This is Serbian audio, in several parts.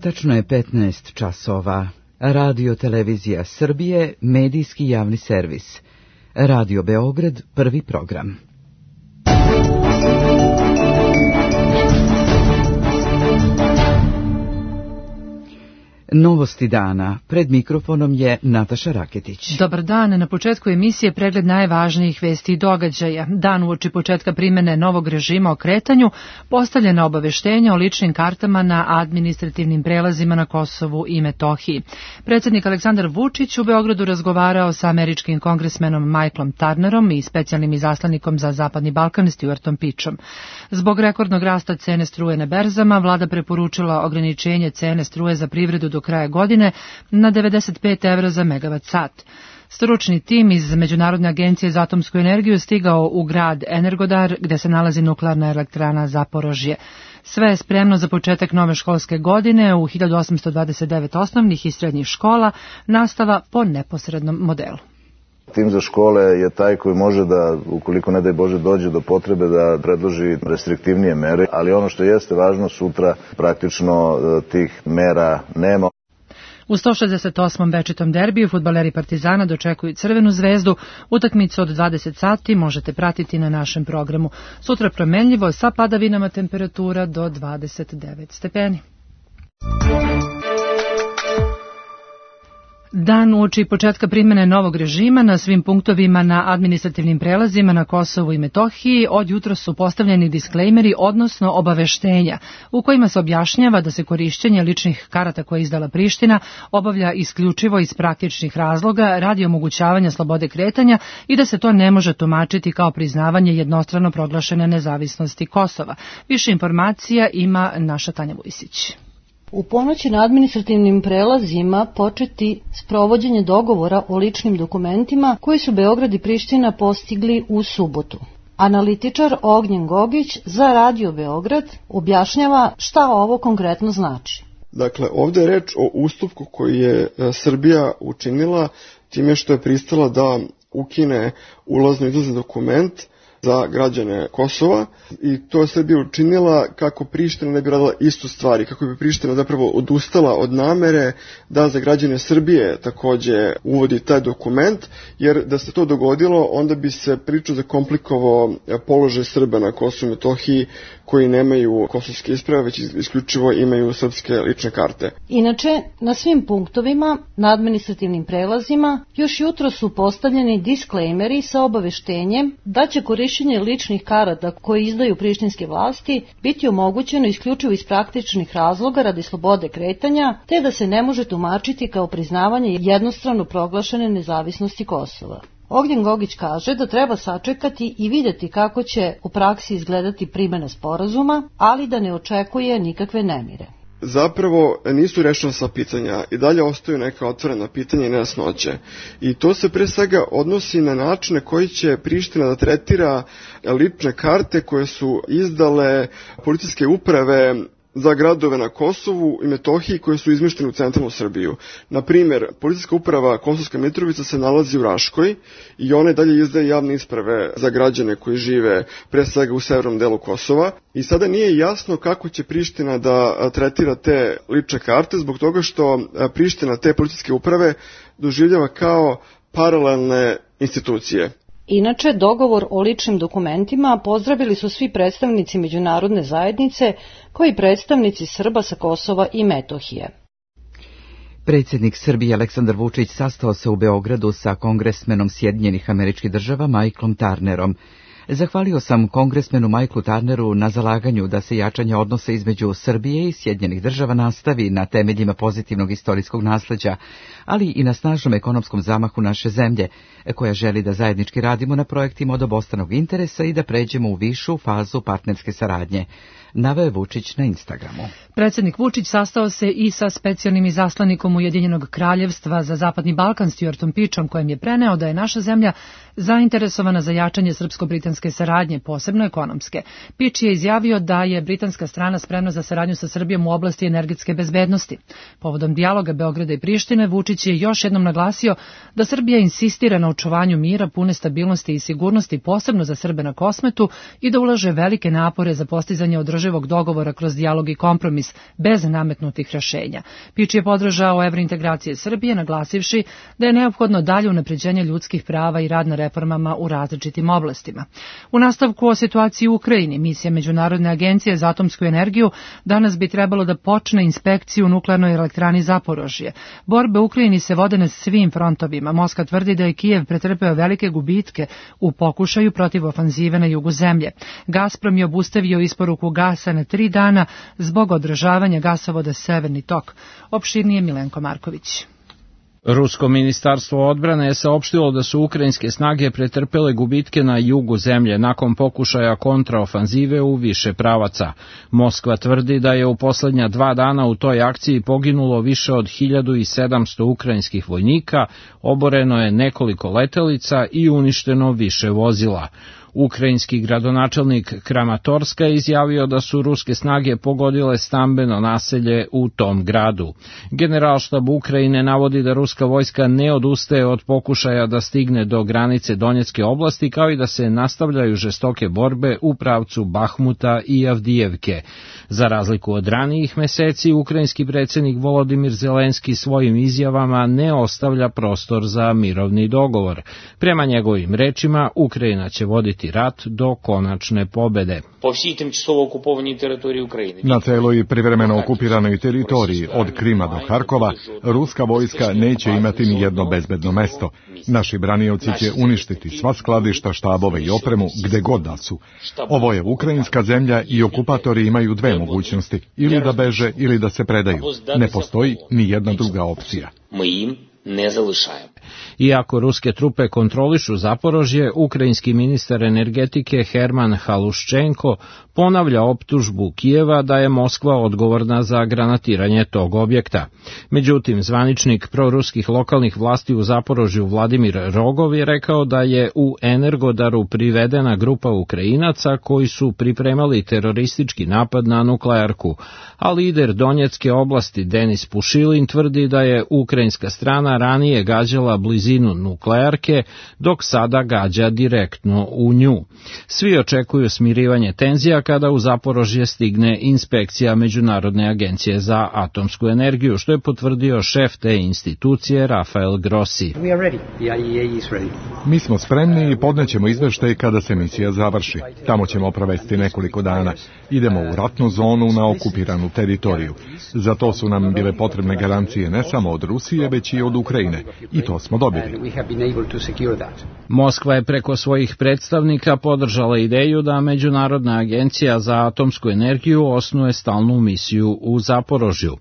Tačno je 15 časova. Radio Televizija Srbije, medijski javni servis. Radio Beograd, prvi program. Novosti dana. Pred mikrofonom je Nataša Raketić. Dobar dan. Na početku emisije pregled najvažnijih vesti i događaja. Dan uoči početka primene novog režima o kretanju, postavljena obaveštenja o ličnim kartama na administrativnim prelazima na Kosovu i Metohiji. Predsjednik Aleksandar Vučić u Beogradu razgovarao sa američkim kongresmenom Michaelom Turnerom i specijalnim izaslanikom za Zapadni Balkan Stuartom Pičom. Zbog rekordnog rasta cene struje na berzama, vlada preporučila ograničenje cene struje za privredu do kraja godine na 95 evra za megavat sat. Stručni tim iz Međunarodne agencije za atomsku energiju stigao u grad Energodar, gde se nalazi nuklearna elektrana Zaporožje. Sve je spremno za početak nove školske godine u 1829 osnovnih i srednjih škola, nastava po neposrednom modelu. Tim za škole je taj koji može da, ukoliko ne daj Bože dođe do potrebe, da predloži restriktivnije mere, ali ono što jeste važno, sutra praktično tih mera nema. U 168. večitom derbiju fudbaleri Partizana dočekuju Crvenu zvezdu. Utakmicu od 20 sati možete pratiti na našem programu. Sutra promenljivo sa padavinama, temperatura do 29 stepeni. Dan uoči početka primene novog režima na svim punktovima na administrativnim prelazima na Kosovu i Metohiji od jutra su postavljeni disklejmeri, odnosno obaveštenja, u kojima se objašnjava da se korišćenje ličnih karata koje je izdala Priština obavlja isključivo iz praktičnih razloga radi omogućavanja slobode kretanja i da se to ne može tumačiti kao priznavanje jednostrano proglašene nezavisnosti Kosova. Više informacija ima naša Tanja Vujsić. U ponoći na administrativnim prelazima početi sprovođenje dogovora o ličnim dokumentima koji su Beograd i Priština postigli u subotu. Analitičar Ognjen Gogić za Radio Beograd objašnjava šta ovo konkretno znači. Dakle, ovdje je reč o ustupku koji je Srbija učinila time što je pristala da ukine ulazno-izlazni dokument za građane Kosova i to je Srbija učinila kako Priština ne bi radila istu stvar i kako bi Priština zapravo odustala od namere da za građane Srbije također uvodi taj dokument, jer da se to dogodilo onda bi se priča zakomplikovao položaj Srba na Kosovu i Metohiji koji nemaju kosovske isprave, već isključivo imaju srpske lične karte. Inače, na svim punktovima, na administrativnim prelazima, još jutro su postavljeni disklejmeri sa obaveštenjem da će korišćenje ličnih karata koje izdaju prištinske vlasti biti omogućeno isključivo iz praktičnih razloga radi slobode kretanja, te da se ne može tumačiti kao priznavanje jednostrano proglašene nezavisnosti Kosova. Ognjen Gogić kaže da treba sačekati i vidjeti kako će u praksi izgledati primjena sporazuma, ali da ne očekuje nikakve nemire. Zapravo nisu rešena sva pitanja i dalje ostaju neka otvorena pitanja i nejasnoće. I to se pre svega odnosi na načine koji će Priština da tretira lične karte koje su izdale policijske uprave za gradove na Kosovu i Metohiji koje su izmeštene u centralnu Srbiju. Na primjer, policijska uprava Kosovska Mitrovica se nalazi u Raškoj i ona dalje izdaje javne isprave za građane koji žive pre svega u severnom delu Kosova i sada nije jasno kako će Priština da tretira te lične karte zbog toga što Priština te policijske uprave doživljava kao paralelne institucije. Inače, dogovor o ličnim dokumentima pozdravili su svi predstavnici međunarodne zajednice, kao i predstavnici Srba sa Kosova i Metohije. Predsjednik Srbije Aleksandar Vučić sastao se u Beogradu sa kongresmenom Sjedinjenih Američkih Država Michaelom Turnerom. Zahvalio sam kongresmenu Michaelu Turneru na zalaganju da se jačanje odnosa između Srbije i Sjedinjenih Država nastavi na temeljima pozitivnog istorijskog nasleđa, ali i na snažnom ekonomskom zamahu naše zemlje, koja želi da zajednički radimo na projektima od obostranog interesa i da pređemo u višu fazu partnerske saradnje. Naveo je Vučić na Instagramu. Predsjednik Vučić sastao se i sa specijalnim izaslanikom Ujedinjenog kraljevstva za Zapadni Balkan Stuartom Pičom, kojem je preneo da je naša zemlja zainteresovana za jačanje srpsko-britanske srpsko-britanske saradnje, posebno ekonomske. Piči je izjavio da je britanska strana spremna za saradnju sa Srbijom u oblasti energetske bezbednosti. Povodom dijaloga Beograda i Prištine, Vučić je još jednom naglasio da Srbija insistira na očuvanju mira, pune stabilnosti i sigurnosti, posebno za Srbe na Kosmetu, i da ulaže velike napore za postizanje održivog dogovora kroz dijalog i kompromis, bez nametnutih rešenja. Piči je podržao evrointegracije Srbije, naglasivši da je neophodno dalje unapređenje ljudskih prava i rad na reformama u različitim oblastima. U nastavku o situaciji u Ukrajini, misija Međunarodne agencije za atomsku energiju danas bi trebalo da počne inspekciju u nuklearnoj elektrani Zaporožje. Borbe u Ukrajini se vode na svim frontovima. Moskva tvrdi da je Kijev pretrpeo velike gubitke u pokušaju protiv ofanzive na jugu zemlje. Gazprom je obustavio isporuku gasa na 3 dana zbog održavanja gasovoda Severni tok. Opširnije Milenko Marković. Rusko ministarstvo odbrane je saopštilo da su ukrajinske snage pretrpele gubitke na jugu zemlje nakon pokušaja kontraofanzive u više pravaca. Moskva tvrdi da je u poslednja 2 dana u toj akciji poginulo više od 1700 ukrajinskih vojnika, oboreno je nekoliko letelica i uništeno više vozila. Ukrajinski gradonačelnik Kramatorska je izjavio da su ruske snage pogodile stambeno naselje u tom gradu. Generalštab Ukrajine navodi da ruska vojska ne odustaje od pokušaja da stigne do granice Donjecke oblasti, kao i da se nastavljaju žestoke borbe u pravcu Bahmuta i Avdijevke. Za razliku od ranijih meseci, ukrajinski predsjednik Volodimir Zelenski svojim izjavama ne ostavlja prostor za mirovni dogovor. Prema njegovim rečima, Ukrajina će voditi rat do konačne pobede. Na celoj privremeno okupiranoj teritoriji, od Krima do Harkova, ruska vojska neće imati ni jedno bezbedno mesto. Naši branioci će uništiti sva skladišta, štabove i opremu gde god da su. Ovo je ukrajinska zemlja i okupatori imaju 2 mogućnosti, ili da beže ili da se predaju. Ne postoji ni jedna druga opcija. Iako ruske trupe kontrolišu Zaporožje, ukrajinski ministar energetike Herman Haluščenko ponavlja optužbu Kijeva da je Moskva odgovorna za granatiranje tog objekta. Međutim, zvaničnik proruskih lokalnih vlasti u Zaporožju Vladimir Rogov je rekao da je u Energodaru privedena grupa Ukrajinaca koji su pripremali teroristički napad na nuklearku, a lider Donjecke oblasti Denis Pušilin tvrdi da je ukrajinska strana ranije gađala blizinu nuklearke, dok sada gađa direktno u nju. Svi očekuju smirivanje tenzija kada u Zaporožje stigne inspekcija Međunarodne agencije za atomsku energiju, što je potvrdio šef te institucije Rafael Grossi. Mi smo spremni i podnećemo izveštaj kada se misija završi. Tamo ćemo provesti nekoliko dana. Idemo u ratnu zonu na okupiranu teritoriju. Za to su nam bile potrebne garancije ne samo od Rusije, već i od Ukrajine. I to smo dobili. Moskva je preko svojih predstavnika podržala ideju da Međunarodna agencija za atomsku energiju osnuje stalnu misiju u Zaporožju.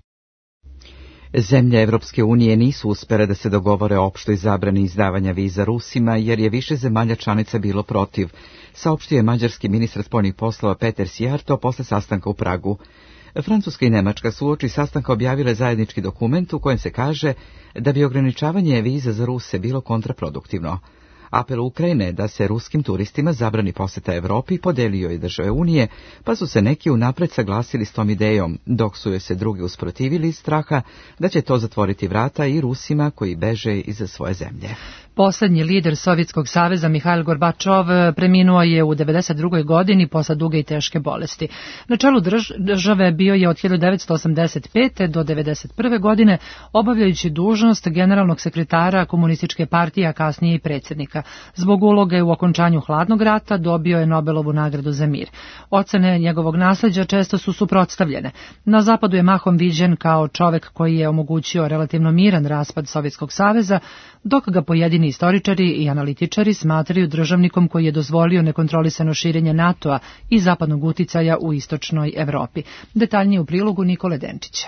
Zemlje Evropske unije nisu uspjele da se dogovore o opštoj zabrani izdavanja viza Rusima, jer je više zemalja članica bilo protiv, saopštio je mađarski ministar spoljnih poslova Peter Sijarto posle sastanka u Pragu. Francuska i Nemačka su uoči sastanka objavile zajednički dokument u kojem se kaže da bi ograničavanje viza za Ruse bilo kontraproduktivno. Apel Ukrajine da se ruskim turistima zabrani poseta Evropi podelio je države Unije, pa su se neki unapred saglasili s tom idejom, dok su joj se drugi usprotivili iz straha da će to zatvoriti vrata i Rusima koji beže iz svoje zemlje. Poslednji lider Sovjetskog saveza Mihail Gorbačov preminuo je u 92. godini posle duge i teške bolesti. Na čelu države bio je od 1985. do 1991. godine, obavljajući dužnost generalnog sekretara Komunističke partije, a kasnije i predsjednika. Zbog uloge u okončanju hladnog rata dobio je Nobelovu nagradu za mir. Ocene njegovog nasleđa često su suprotstavljene. Na zapadu je mahom viđen kao čovek koji je omogućio relativno miran raspad Sovjetskog saveza, dok ga pojedini istoričari i analitičari smatraju državnikom koji je dozvolio nekontrolisano širenje NATO-a i zapadnog uticaja u istočnoj Evropi. Detaljnije u prilogu Nikole Denčića.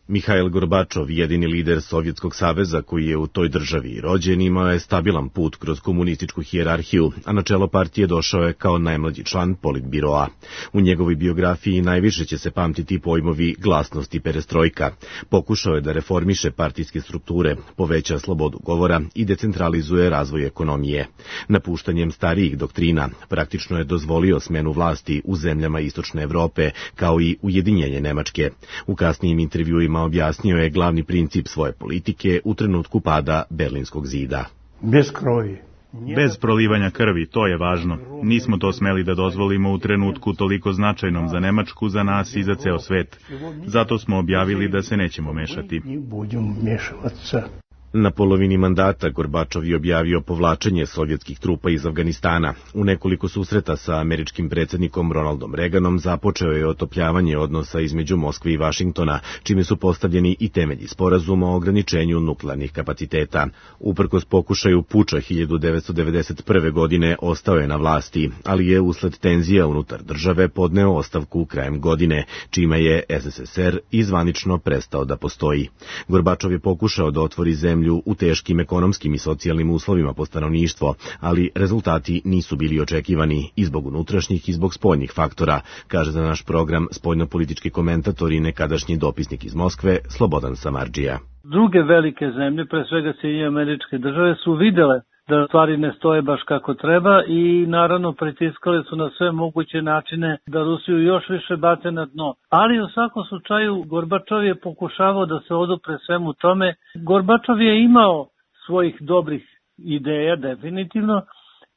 Mihail Gorbačov, jedini lider Sovjetskog saveza koji je u toj državi rođen, imao je stabilan put kroz komunističku hijerarhiju, a na čelo partije došao je kao najmlađi član politbiroa. U njegovoj biografiji najviše će se pamtiti pojmovi glasnost i perestrojka. Pokušao je da reformiše partijske strukture, poveća slobodu govora i decentralizuje razvoj ekonomije. Napuštanjem starijih doktrina praktično je dozvolio smenu vlasti u zemljama Istočne Evrope, kao i ujedinjenje Nemačke. U kasnijim intervjuima objasnio je glavni princip svoje politike u trenutku pada Berlinskog zida. Bez prolivanja krvi, to je važno. Nismo to smeli da dozvolimo u trenutku toliko značajnom za Nemačku, za nas i za ceo svet. Zato smo objavili da se nećemo mešati. Na polovini mandata Gorbačov je objavio povlačenje sovjetskih trupa iz Afganistana. U nekoliko susreta sa američkim predsjednikom Ronaldom Reaganom započeo je otopljavanje odnosa između Moskve i Vašingtona, čime su postavljeni i temelji sporazuma o ograničenju nuklearnih kapaciteta. Uprkos pokušaju puča 1991. godine ostao je na vlasti, ali je usled tenzija unutar države podneo ostavku krajem godine, čime je SSSR izvanično prestao da postoji. Gorbačov je pokušao da otvori zemlju u teškim ekonomskim i socijalnim uslovima po stanovništvo, ali rezultati nisu bili očekivani i zbog unutrašnjih i zbog spoljnih faktora, kaže za naš program spoljnopolitički komentator i nekadašnji dopisnik iz Moskve Slobodan Samardžija. Druge velike zemlje, pre svega Sjedinjene Američke Države, su videle da stvari ne stoje baš kako treba i naravno pritiskali su na sve moguće načine da Rusiju još više bace na dno. Ali u svakom slučaju Gorbačov je pokušavao da se odupre svemu tome. Gorbačov je imao svojih dobrih ideja, definitivno.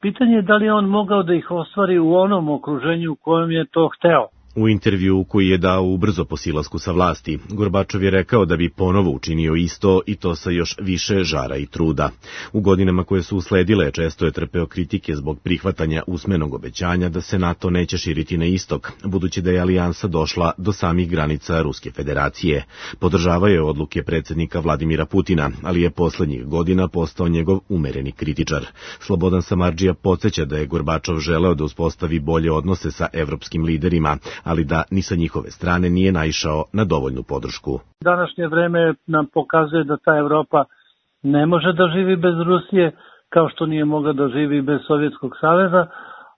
Pitanje je da li je on mogao da ih ostvari u onom okruženju u kojem je to hteo. U intervju koji je dao ubrzo po silasku sa vlasti, Gorbačov je rekao da bi ponovo učinio isto i to sa još više žara i truda. U godinama koje su usledile često je trpeo kritike zbog prihvatanja usmenog obećanja da se NATO neće širiti na istok, budući da je alijansa došla do samih granica Ruske federacije. Podržavao je odluke predsjednika Vladimira Putina, ali je poslednjih godina postao njegov umereni kritičar. Slobodan Samardžija podsjeća da je Gorbačov želeo da uspostavi bolje odnose sa evropskim liderima, ali da ni sa njihove strane nije naišao na dovoljnu podršku. Današnje vreme nam pokazuje da ta Evropa ne može da živi bez Rusije, kao što nije mogla da živi bez Sovjetskog saveza,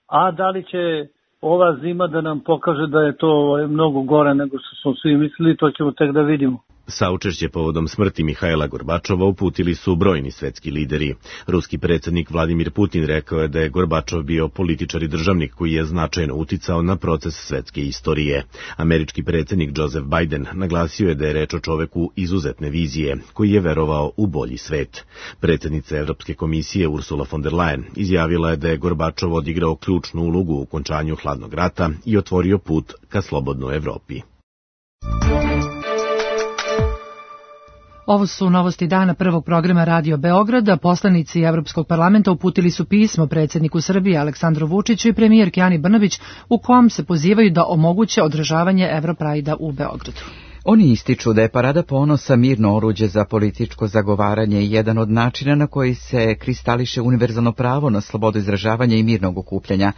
a da li će ova zima da nam pokaže da je to mnogo gore nego što smo svi mislili, to ćemo tek da vidimo. Saučešće povodom smrti Mihaila Gorbačova uputili su brojni svetski lideri. Ruski predsjednik Vladimir Putin rekao je da je Gorbačov bio političar i državnik koji je značajno uticao na proces svetske istorije. Američki predsjednik Joseph Biden naglasio je da je reč o čoveku izuzetne vizije, koji je verovao u bolji svet. Predsjednica Evropske komisije Ursula von der Leyen izjavila je da je Gorbačov odigrao ključnu ulogu u okončanju hladnog rata i otvorio put ka slobodnoj Evropi. Ovo su novosti dana prvog programa Radio Beograda. Poslanici Evropskog parlamenta uputili su pismo predsjedniku Srbije Aleksandru Vučiću i premijerki Ani Brnabić u kom se pozivaju da omoguće održavanje Evroprajda u Beogradu. Oni ističu da je Parada ponosa mirno oruđe za političko zagovaranje i jedan od načina na koji se kristališe univerzalno pravo na slobodu izražavanja i mirnog okupljanja.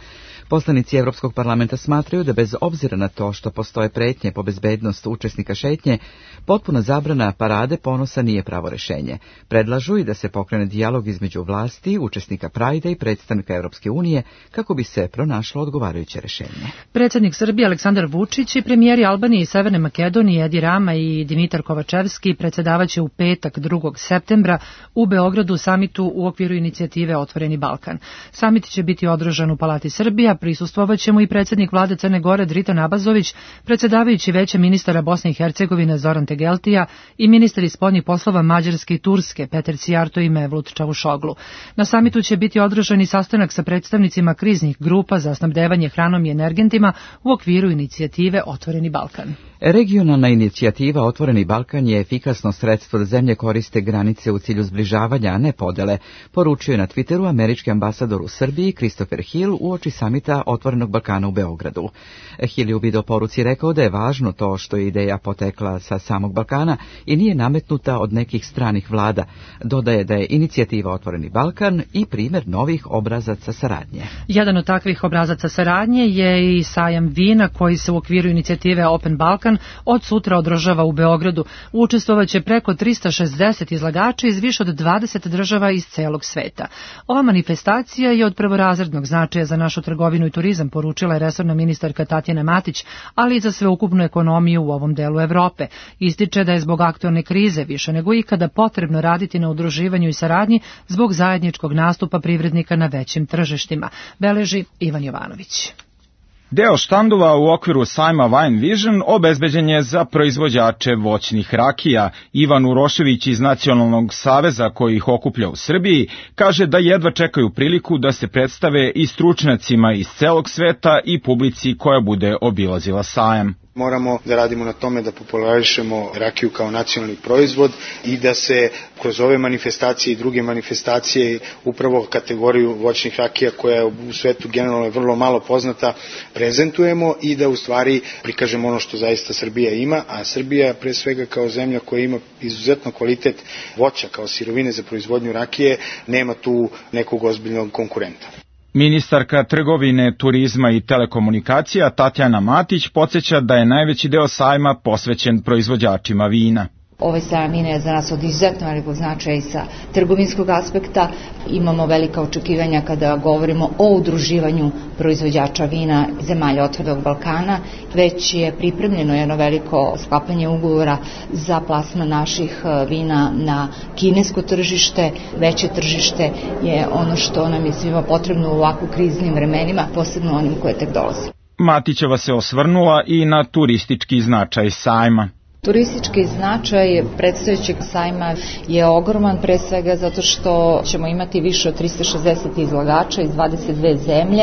Poslanici Evropskog parlamenta smatraju da bez obzira na to što postoje pretnje po bezbednost učesnika šetnje, potpuna zabrana Parade ponosa nije pravo rešenje. Predlažu i da se pokrene dijalog između vlasti, učesnika Prajda i predstavnika Evropske unije kako bi se pronašlo odgovarajuće rešenje. Predsjednik Srbije Aleksandar Vučić i premijeri Albanije i Severne Makedonije Edi Rama i Dimitar Kovačevski predsjedavaće u petak 2. septembra u Beogradu samitu u okviru inicijative Otvoreni Balkan. Samit će biti održan u Palati Srbija, prisustvovaće mu i predsjednik vlade Crne Gore Dritan Abazović, predsjedavajući Veća ministara Bosne i Hercegovine Zoran Tegeltija i ministri spoljnih poslova Mađarske i Turske Peter Cijarto i Mevlut Čavušoglu. Na samitu će biti održan i sastanak sa predstavnicima kriznih grupa za snabdevanje hranom i energentima u okviru inicijative Otvoreni Balkan. Regionalna inicijativa Otvoreni Balkan je efikasno sredstvo da zemlje koriste granice u cilju zbližavanja, a ne podele, poručio je na Twitteru američki ambasador u Srbiji Christopher Hill uoči samita Otvorenog Balkana u Beogradu. Hill je u video poruci rekao da je važno to što je ideja potekla sa samog Balkana i nije nametnuta od nekih stranih vlada. Dodaje da je inicijativa Otvoreni Balkan i primjer novih obrazaca saradnje. Jedan od takvih obrazaca saradnje je i sajam vina koji se u okviru inicijative Open Balkan Weekend od sutra održava u Beogradu. Učestvovaće preko 360 izlagača iz više od 20 država iz celog sveta. Ova manifestacija je od prvorazrednog značaja za našu trgovinu i turizam, poručila je resorna ministarka Tatjana Matić, ali i za sveukupnu ekonomiju u ovom delu Evrope. Ističe da je zbog aktualne krize više nego ikada potrebno raditi na udruživanju i saradnji zbog zajedničkog nastupa privrednika na većim tržištima, beleži Ivan Jovanović. Deo štandova u okviru sajma Wine Vision obezbeđen je za proizvođače voćnih rakija. Ivan Urošević iz Nacionalnog saveza koji ih okuplja u Srbiji kaže da jedva čekaju priliku da se predstave i stručnjacima iz celog sveta i publici koja bude obilazila sajam. Moramo da radimo na tome da popularišemo rakiju kao nacionalni proizvod i da se kroz ove manifestacije i druge manifestacije upravo kategoriju voćnih rakija koja je u svetu generalno vrlo malo poznata prezentujemo i da u stvari prikažemo ono što zaista Srbija ima, a Srbija pre svega kao zemlja koja ima izuzetno kvalitet voća kao sirovine za proizvodnju rakije nema tu nekog ozbiljnog konkurenta. Ministarka trgovine, turizma i telekomunikacija Tatjana Matić podsjeća da je najveći deo sajma posvećen proizvođačima vina. Ovaj sajam vina je za nas od izuzetno velikog značaja i sa trgovinskog aspekta. Imamo velika očekivanja kada govorimo o udruživanju proizvođača vina zemalja Otvorenog Balkana. Već je pripremljeno jedno veliko sklapanje ugovora za plasman naših vina na kinesko tržište. Veće tržište je ono što nam je svima potrebno u ovako kriznim vremenima, posebno onim koje tek dolaze. Matićeva se osvrnula i na turistički značaj sajma. Turistički značaj predstojećeg sajma je ogroman, pre svega zato što ćemo imati više od 360 izlagača iz 22 zemlje.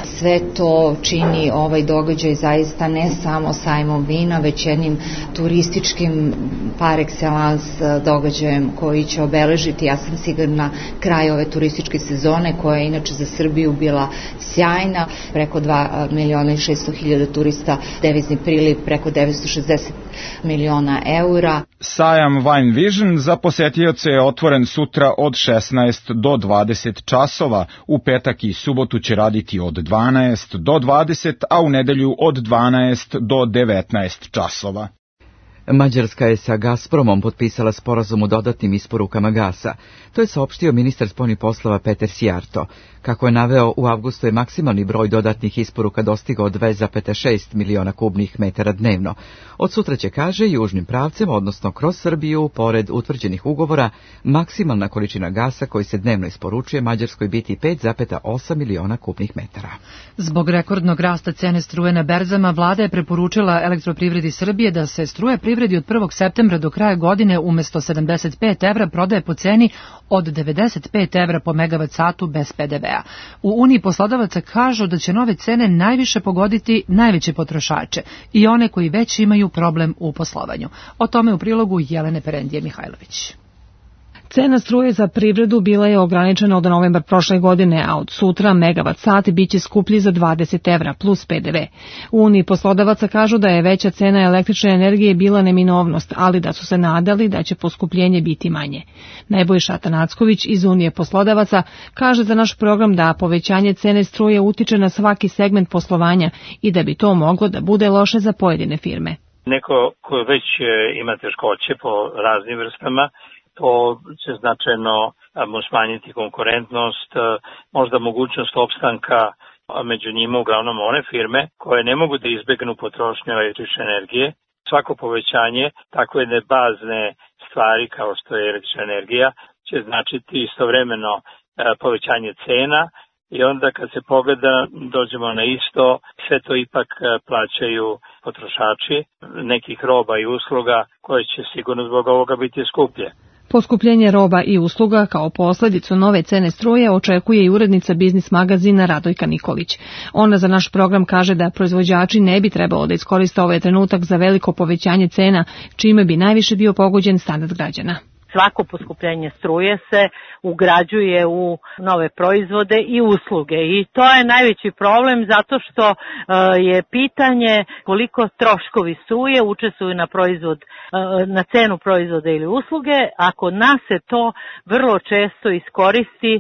Sve to čini ovaj događaj zaista ne samo sajmom vina, već jednim turističkim par excellence događajem koji će obeležiti, ja sam sigurna, kraj ove turističke sezone koja je inače za Srbiju bila sjajna. Preko 2.600.000 turista, devizni priliv preko 960 miliona eura. Sajam Wine Vision za posetioce je otvoren sutra od 16 do 20 časova. U petak i subotu će raditi od 12 do 20, a u nedelju od 12 do 19 časova. Mađarska je sa Gazpromom potpisala sporazum o dodatnim isporukama gasa. To je saopštio ministar spoljnih poslova Peter Sijarto. Kako je naveo, u avgustu je maksimalni broj dodatnih isporuka dostigao 2,6 miliona kubnih metara dnevno. Od sutra će, kaže, južnim pravcem, odnosno kroz Srbiju, pored utvrđenih ugovora, maksimalna količina gasa koji se dnevno isporučuje Mađarskoj biti 5,8 miliona kubnih metara. Zbog rekordnog rasta cene struje na berzama, vlada je preporučila Elektroprivredi Srbije da se struje privredi od 1. septembra do kraja godine umesto 75 evra prodaje po ceni od 95 evra po megavat satu bez PDV-a. U Uniji poslodavaca kažu da će nove cene najviše pogoditi najveće potrošače i one koji već imaju problem u poslovanju. O tome u prilogu Jelene Perendije Mihajlović. Cena struje za privredu bila je ograničena od novembra prošle godine, a od sutra megavat sat biće skuplji za 20 evra plus PDV. U Uniji poslodavaca kažu da je veća cena električne energije bila neminovnost, ali da su se nadali da će poskupljenje biti manje. Nebojša Tanacković iz Unije poslodavaca kaže za naš program da povećanje cene struje utiče na svaki segment poslovanja i da bi to moglo da bude loše za pojedine firme. Neko ko već ima teškoće po raznim vrstama, to će značajno mu smanjiti konkurentnost, možda mogućnost opstanka, među njima uglavnom one firme koje ne mogu da izbegnu potrošnju električne energije. Svako povećanje takve jedne bazne stvari kao što je električna energija će značiti istovremeno povećanje cena i onda kad se pogleda dođemo na isto, sve to ipak plaćaju potrošači nekih roba i usluga koje će sigurno zbog ovoga biti skuplje. Poskupljenje roba i usluga kao posledicu nove cene struje očekuje i urednica biznis magazina Radojka Nikolić. Ona za naš program kaže da proizvođači ne bi trebalo da iskoriste ovaj trenutak za veliko povećanje cena, čime bi najviše bio pogođen standard građana. svako poskupljenje struje se ugrađuje u nove proizvode i usluge i to je najveći problem zato što je pitanje koliko troškovi struje učestvuju na cenu proizvoda ili usluge, a kod nas se to vrlo često iskoristi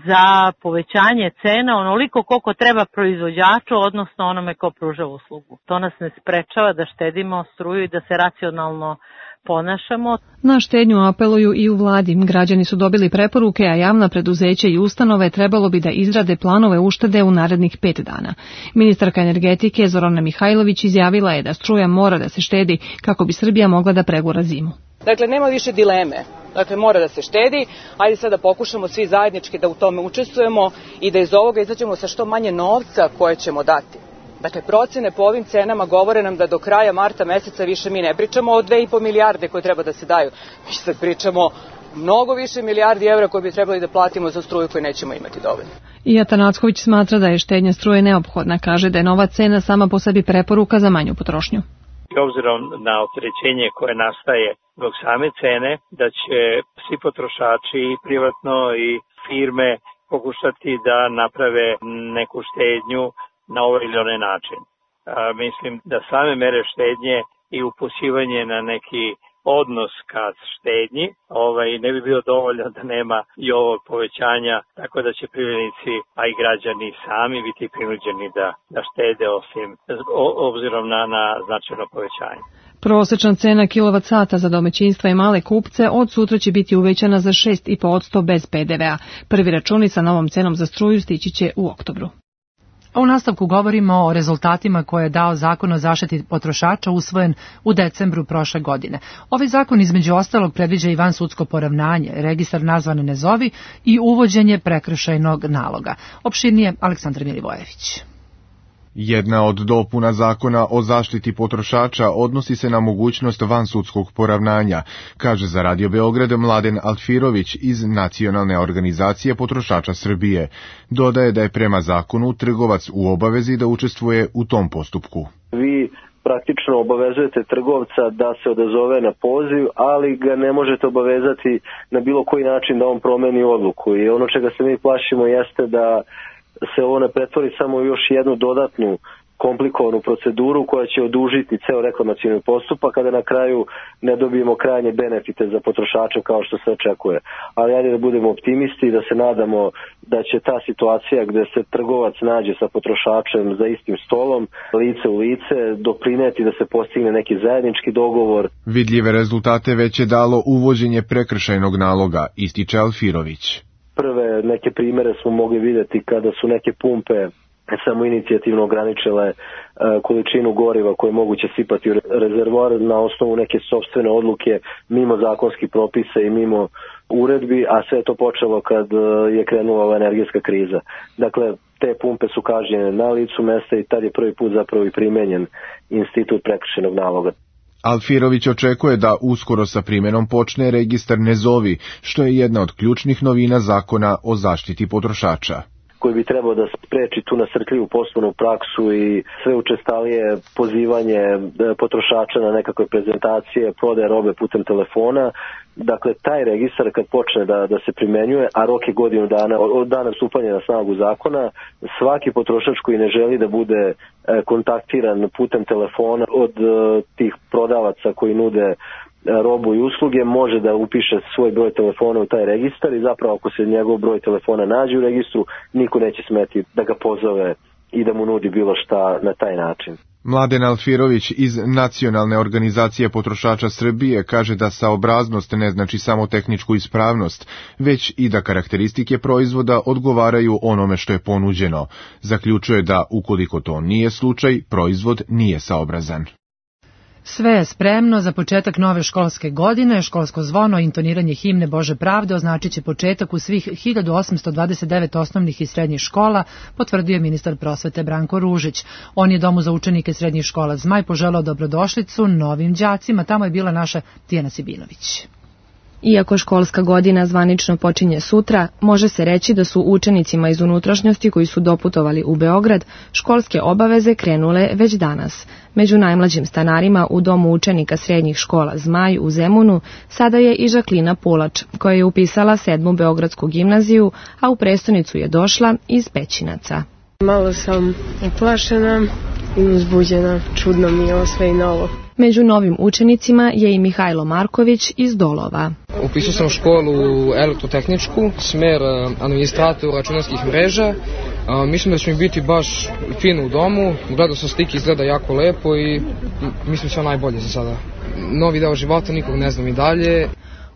za povećanje cena onoliko koliko treba proizvođaču, odnosno onome ko pruža uslugu. To nas ne sprečava da štedimo struju i da se racionalno ponašamo. Na štednju apeluju i u vladi. Građani su dobili preporuke, a javna preduzeća i ustanove trebalo bi da izrade planove uštede u narednih 5 dana. Ministarka energetike Zorana Mihajlović izjavila je da struja mora da se štedi kako bi Srbija mogla da pregura zimu. Dakle, nema više dileme. Dakle, mora da se štedi. Ajde sad da pokušamo svi zajednički da u tome učestvujemo i da iz ovoga izađemo sa što manje novca koje ćemo dati. Dakle, procene po ovim cenama govore nam da do kraja marta meseca više mi ne pričamo o 2,5 milijarde koje treba da se daju. Mi sad pričamo mnogo više milijardi evra koje bi trebali da platimo za struju koju nećemo imati dovoljno. I Atanacković smatra da je štednja struje neophodna. Kaže da je nova cena sama po sebi preporuka za manju potrošnju. Obzirom na opterećenje koje nastaje zbog same cene, da će svi potrošači i privatno i firme pokušati da naprave neku štednju na ovaj ili onaj način. Mislim da same mere štednje i upućivanje na neki odnos ka štednji ne bi bio dovoljno da nema i ovog povećanja, tako da će privrednici, a i građani sami biti prinuđeni da štede obzirom na značajno povećanje. Prosečna cena kilovat-sata za domaćinstva i male kupce od sutra će biti uvećana za 6,5% bez PDV-a. Prvi računi sa novom cenom za struju stići će u oktobru. U nastavku govorimo o rezultatima koje je dao Zakon o zaštiti potrošača usvojen u decembru prošle godine. Ovaj zakon između ostalog predviđa i vansudsko poravnanje, registar nazvane ne zovi i uvođenje prekršajnog naloga. Opširnije Aleksandar Milivojević. Jedna od dopuna Zakona o zaštiti potrošača odnosi se na mogućnost vansudskog poravnanja, kaže za Radio Beograd Mladen Altfirović iz Nacionalne organizacije potrošača Srbije. Dodaje da je prema zakonu trgovac u obavezi da učestvuje u tom postupku. Vi praktično obavezujete trgovca da se odazove na poziv, ali ga ne možete obavezati na bilo koji način da on promeni odluku. I ono čega se mi plašimo jeste da se ovo ne pretvori samo još jednu dodatnu komplikovanu proceduru koja će odužiti ceo reklamacioni postupak, kada na kraju ne dobijemo krajnje benefite za potrošača kao što se očekuje. Ali ajde da budemo optimisti i da se nadamo da će ta situacija gde se trgovac nađe sa potrošačem za istim stolom, lice u lice, doprineti da se postigne neki zajednički dogovor. Vidljive rezultate već je dalo uvođenje prekršajnog naloga, ističe Alfirović. Prve neke primere smo mogli vidjeti kada su neke pumpe samo inicijativno ograničile količinu goriva koje je moguće sipati u rezervoar na osnovu neke sopstvene odluke mimo zakonskih propisa i mimo uredbi, a sve je to počelo kad je krenula ova energetska kriza. Dakle, te pumpe su kažnjene na licu mesta i tad je prvi put zapravo i primenjen institut prekršajnog naloga. Alfirović očekuje da uskoro sa primjenom počne registar ne zovi, što je jedna od ključnih novina Zakona o zaštiti potrošača, koji bi trebao da spreči tu nasrtljivu poslovnu praksu i sve učestalije pozivanje potrošača na nekakve prezentacije, prodaje robe putem telefona. Dakle, taj registar kad počne da se primenjuje, a rok je godinu dana od dana stupanja na snagu zakona, svaki potrošač koji ne želi da bude kontaktiran putem telefona od tih prodavaca koji nude robu i usluge može da upiše svoj broj telefona u taj registar i zapravo ako se njegov broj telefona nađe u registru, niko neće smeti da ga pozove i da mu nudi bilo šta na taj način. Mladen Alfirović iz Nacionalne organizacije potrošača Srbije kaže da saobraznost ne znači samo tehničku ispravnost, već i da karakteristike proizvoda odgovaraju onome što je ponuđeno. Zaključuje da, ukoliko to nije slučaj, proizvod nije saobrazan. Sve je spremno za početak nove školske godine. Školsko zvono i intoniranje himne Bože pravde označit će početak u svih 1829 osnovnih i srednjih škola, potvrdio je ministar prosvete Branko Ružić. On je Domu za učenike srednjih škola Zmaj poželao dobrodošlicu novim đacima. Tamo je bila naša Tijana Sibinović. Iako školska godina zvanično počinje sutra, može se reći da su učenicima iz unutrašnjosti koji su doputovali u Beograd školske obaveze krenule već danas. Među najmlađim stanarima u domu učenika srednjih škola Zmaj u Zemunu sada je i Žaklina Pulač, koja je upisala 7. Beogradsku gimnaziju, a u prestonicu je došla iz Pećinaca. Malo sam uplašena i uzbuđena, čudno mi je ovo sve i novo. Među novim učenicima je i Mihajlo Marković iz Dolova. Upisao sam školu elektrotehničku, smer administrator računarskih mreža. Mislim da će mi biti baš fino u domu, gledao sam slike, izgleda jako lepo i mislim sve najbolje za sada. Novi deo života, nikog ne znam i dalje.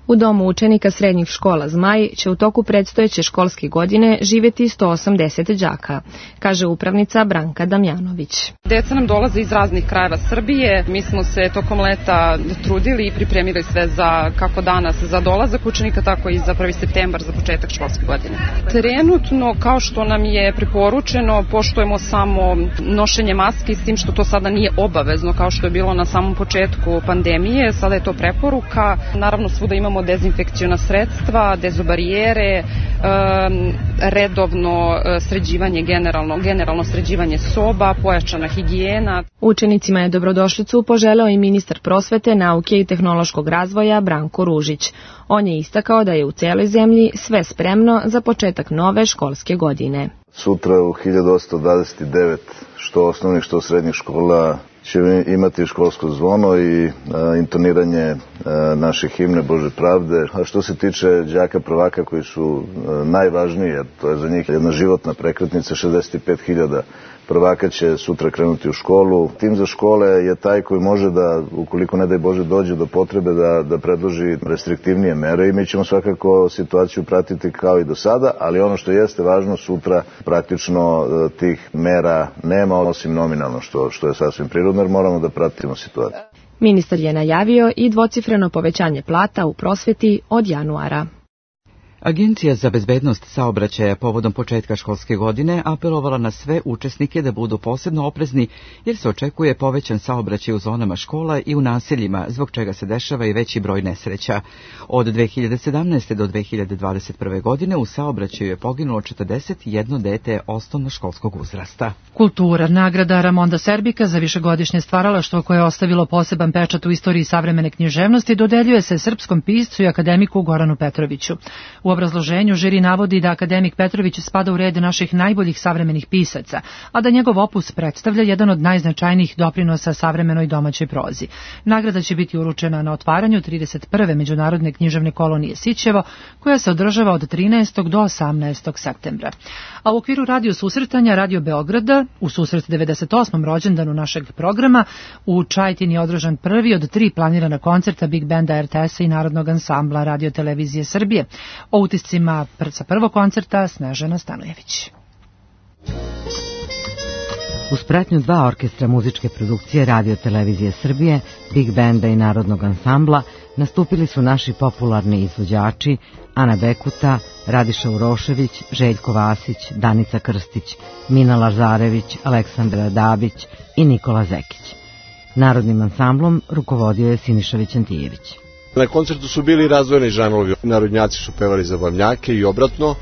U domu učenika srednjih škola Zmaj će u toku predstojeće školske godine živjeti 180 đaka, kaže upravnica Branka Damjanović. Deca nam dolaze iz raznih krajeva Srbije. Mi smo se tokom leta trudili i pripremili sve za kako danas za dolazak učenika, tako i za 1. septembar za početak školske godine. Trenutno, kao što nam je preporučeno, poštujemo samo nošenje maske, s tim što to sada nije obavezno kao što je bilo na samom početku pandemije. Sada je to preporuka. Naravno, svuda imamo dezinfekciona sredstva, dezobarijere, redovno sređivanje, generalno sređivanje soba, pojačana higijena. Učenicima je dobrodošlicu poželeo i ministar prosvete, nauke i tehnološkog razvoja Branko Ružić. On je istakao da je u celoj zemlji sve spremno za početak nove školske godine. Sutra u 1829 što osnovnih što srednjih škola će imati školsko zvono i intoniranje naše himne Bože pravde. A što se tiče đaka prvaka koji su najvažniji, jer to je za njih jedna životna prekretnica, 65.000 prvaka će sutra krenuti u školu. Tim za škole je taj koji može da, ukoliko ne daj Bože dođe do potrebe, da predloži restriktivnije mere i mi ćemo svakako situaciju pratiti kao i do sada, ali ono što jeste važno, sutra praktično tih mera nema, osim nominalno, što je sasvim prirodno, jer moramo da pratimo situaciju. Ministar je najavio i dvocifreno povećanje plata u prosveti od januara. Agencija za bezbednost saobraćaja povodom početka školske godine apelovala na sve učesnike da budu posebno oprezni jer se očekuje povećan saobraćaj u zonama škola i u naseljima, zbog čega se dešava i veći broj nesreća. Od 2017. do 2021. godine u saobraćaju je poginulo 41 dete osnovnoškolskog uzrasta. Kultura, nagrada Ramonda Serbika za višegodišnje stvaralaštvo koje je ostavilo poseban pečat u istoriji savremene književnosti dodeljuje se srpskom piscu i akademiku Goranu Petroviću. U obrazloženju žiri navodi da akademik Petrović spada u red naših najboljih savremenih pisaca, a da njegov opus predstavlja jedan od najznačajnijih doprinosa savremenoj domaćoj prozi. Nagrada će biti uručena na otvaranju 31. međunarodne književne kolonije Sićevo, koja se održava od 13. do 18. septembra. A u okviru radio susretanja Radio Beograda, u susret 98. rođendanu našeg programa, u Čajetini je održan prvi od 3 planirana koncerta Big Banda RTS-a i Narodnog ansambla Radio Televizije Srbije. O utiscima sa prvog koncerta Snežana Stanojević. Uz pratnju 2 orkestra muzičke produkcije Radio Televizije Srbije, Big Banda i Narodnog ansambla nastupili su naši popularni izvođači Ana Bekuta, Radiša Urošević, Željko Vasić, Danica Krstić, Mina Lazarević, Aleksandra Dabić i Nikola Zekić. Narodnim ansamblom rukovodio je Siniša Vićantijević. Na koncertu su bili razvojeni žanrovi, narodnjaci su pevali zabavnjake i obratno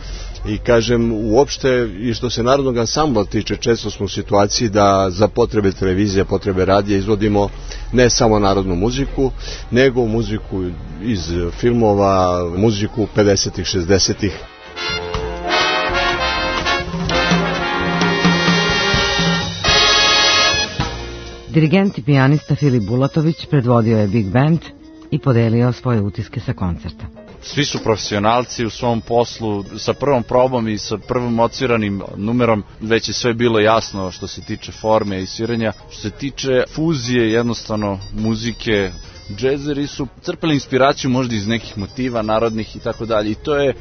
i kažem uopšte i što se narodnog ansambla tiče često smo u situaciji da za potrebe televizije, potrebe radija izvodimo ne samo narodnu muziku, nego muziku iz filmova, muziku 50-ih, 60-ih. Dirigent i pijanista Filip Bulatović predvodio je Big Band i podelio svoje utiske sa koncerta. Svi su profesionalci u svom poslu, sa prvom probom i sa prvom odsviranim numerom već je sve bilo jasno što se tiče forme i sviranja. Što se tiče fuzije, jednostavno muzike, džezeri su crpili inspiraciju možda iz nekih motiva narodnih i tako dalje i to je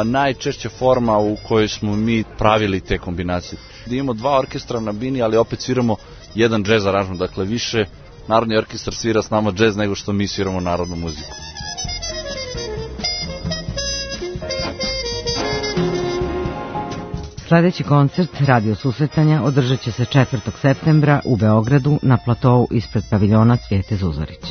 najčešća forma u kojoj smo mi pravili te kombinacije. Da imamo 2 orkestra na bini, ali opet sviramo jedan džez aranžman, dakle više Narodni orkestar svira s nama džez nego što mi sviramo narodnu muziku. Sledeći koncert Radio susretanja održat će se 4. septembra u Beogradu na platou ispred paviljona Cvijete Zuzorić.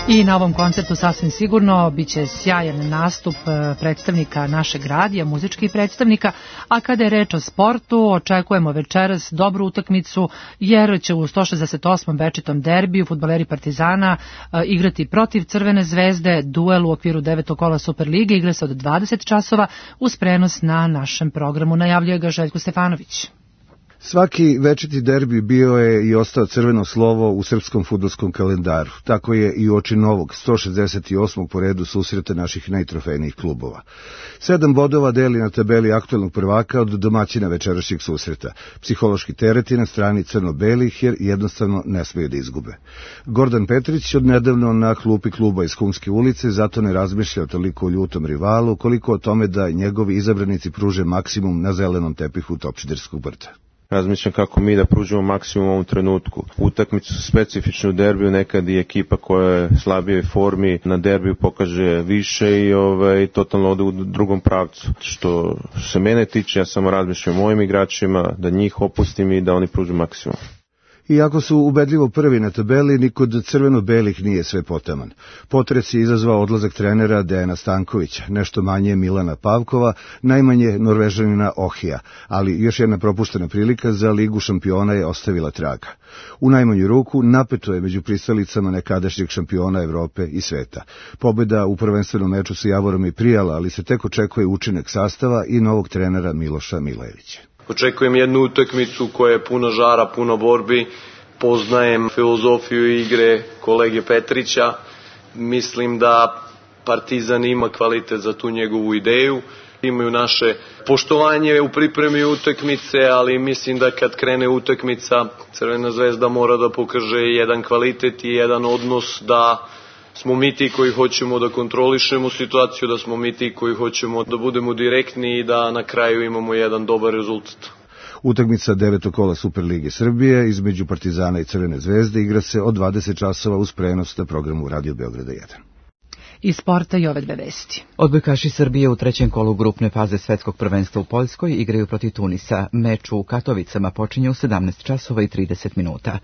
I na ovom koncertu sasvim sigurno biće sjajan nastup predstavnika našeg radija, muzičkih predstavnika, a kada je reč o sportu, očekujemo večeras dobru utakmicu, jer će u 168. večitom derbiju fudbaleri Partizana igrati protiv Crvene zvezde, duel u okviru 9. kola Superlige, igra se od 20 časova uz prenos na našem programu. Najavljuje ga Željko Stefanović. Svaki večiti derbi bio je i ostao crveno slovo u srpskom fudbalskom kalendaru. Tako je i uoči novog 168. po redu susreta naših najtrofejnijih klubova. 7 bodova deli na tabeli aktuelnog prvaka od domaćina večerašnjeg susreta. Psihološki tereti na strani crno-belih jer jednostavno ne smeju da izgube. Gordan Petrić odnedavno na klupi kluba iz Humske ulice zato ne razmišlja toliko o ljutom rivalu koliko o tome da njegovi izabranici pruže maksimum na zelenom tepihu Topčiderskog brda. Razmišljam kako mi da pružimo maksimum u ovom trenutku. Utakmicu su specifičnu derbiju, nekad i ekipa koja je slabije formi na derbiju pokaže više i totalno ode u drugom pravcu. Što se mene tiče, ja samo razmišljam o mojim igračima, da njih opustim i da oni pruže maksimum. Iako su ubedljivo prvi na tabeli, ni kod crveno-belih nije sve potaman. Potres je izazvao odlazak trenera Dejana Stankovića, nešto manje Milana Pavkova, najmanje Norvežanina Ohija, ali još jedna propuštena prilika za Ligu šampiona je ostavila traga. U najmanju ruku napeto je među pristalicama nekadašnjeg šampiona Evrope i sveta. Pobjeda u prvenstvenom meču sa Javorom je prijala, ali se tek očekuje učinak sastava i novog trenera Miloša Milajevića. Očekujem jednu utakmicu koja je puno žara, puno borbi, poznajem filozofiju igre kolege Petrića, mislim da Partizan ima kvalitet za tu njegovu ideju, imaju naše poštovanje u pripremi utakmice, ali mislim da kad krene utakmica Crvena zvezda mora da pokaže jedan kvalitet i jedan odnos da smo mi ti koji hoćemo da kontrolišemo situaciju, da smo mi ti koji hoćemo da budemo direktni i da na kraju imamo jedan dobar rezultat. Utakmica 9. kola Superlige Srbije između Partizana i Crvene zvezde igra se od 20 časova uz prenos na programu Radio Beograda 1. Iz sporta i ove dve vesti. Odbojkaši Srbije u trećem kolu grupne faze svetskog prvenstva u Poljskoj igraju protiv Tunisa. Meč u Katovicama počinje u 17 časova i 30 minuta.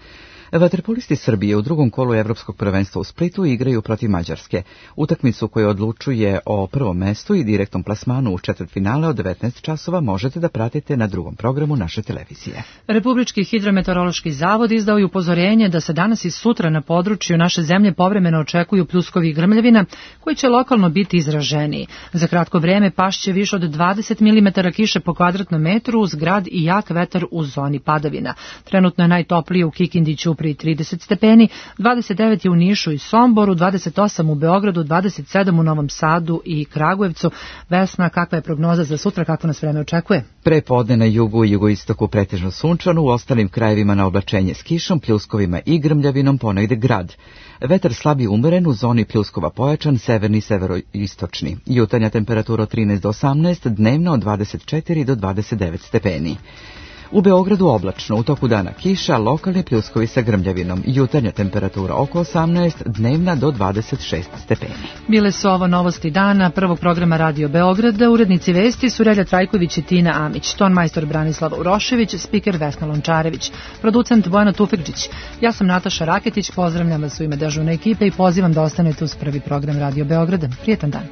Vaterpolisti Srbije u drugom kolu evropskog prvenstva u Splitu igraju protiv Mađarske. Utakmicu koja odlučuje o prvom mestu i direktnom plasmanu u četvrtfinale od 19 časova možete da pratite na drugom programu naše televizije. Republički hidrometeorološki zavod izdao je upozorenje da se danas i sutra na području naše zemlje povremeno očekuju pljuskovi i grmljavina koji će lokalno biti izraženiji. Za kratko vreme pašće više od 20 mm kiše po kvadratnom metru uz grad i jak vetar u zoni padavina. Trenutno je najtoplije u Kikindiću pri 30 stepeni, 29 je u Nišu i Somboru, 28 u Beogradu, 27 u Novom Sadu i Kragujevcu. Vesna, kakva je prognoza za sutra, kako nas vreme očekuje? Pre podne na jugu i jugoistoku pretežno sunčano, u ostalim krajevima na oblačenje s kišom, pljuskovima i grmljavinom, ponegde grad. Vetar slab i umeren, u zoni pljuskova pojačan, severni i severoistočni. Jutarnja temperatura od 13 do 18, dnevna od 24 do 29 stepeni. U Beogradu oblačno, u toku dana kiša, lokalni pljuskovi sa grmljavinom. Jutarnja temperatura oko 18, dnevna do 26 stepeni. Bile su ovo novosti dana prvog programa Radio Beograda. Urednici vesti su Relja Trajković i Tina Amić, tonmajstor Branislava Urošević, spiker Vesna Lončarević, producent Bojana Tufekđić. Ja sam Nataša Raketić, pozdravljam vas u ime dežurne ekipe i pozivam da ostanete uz prvi program Radio Beograda. Prijetan dan.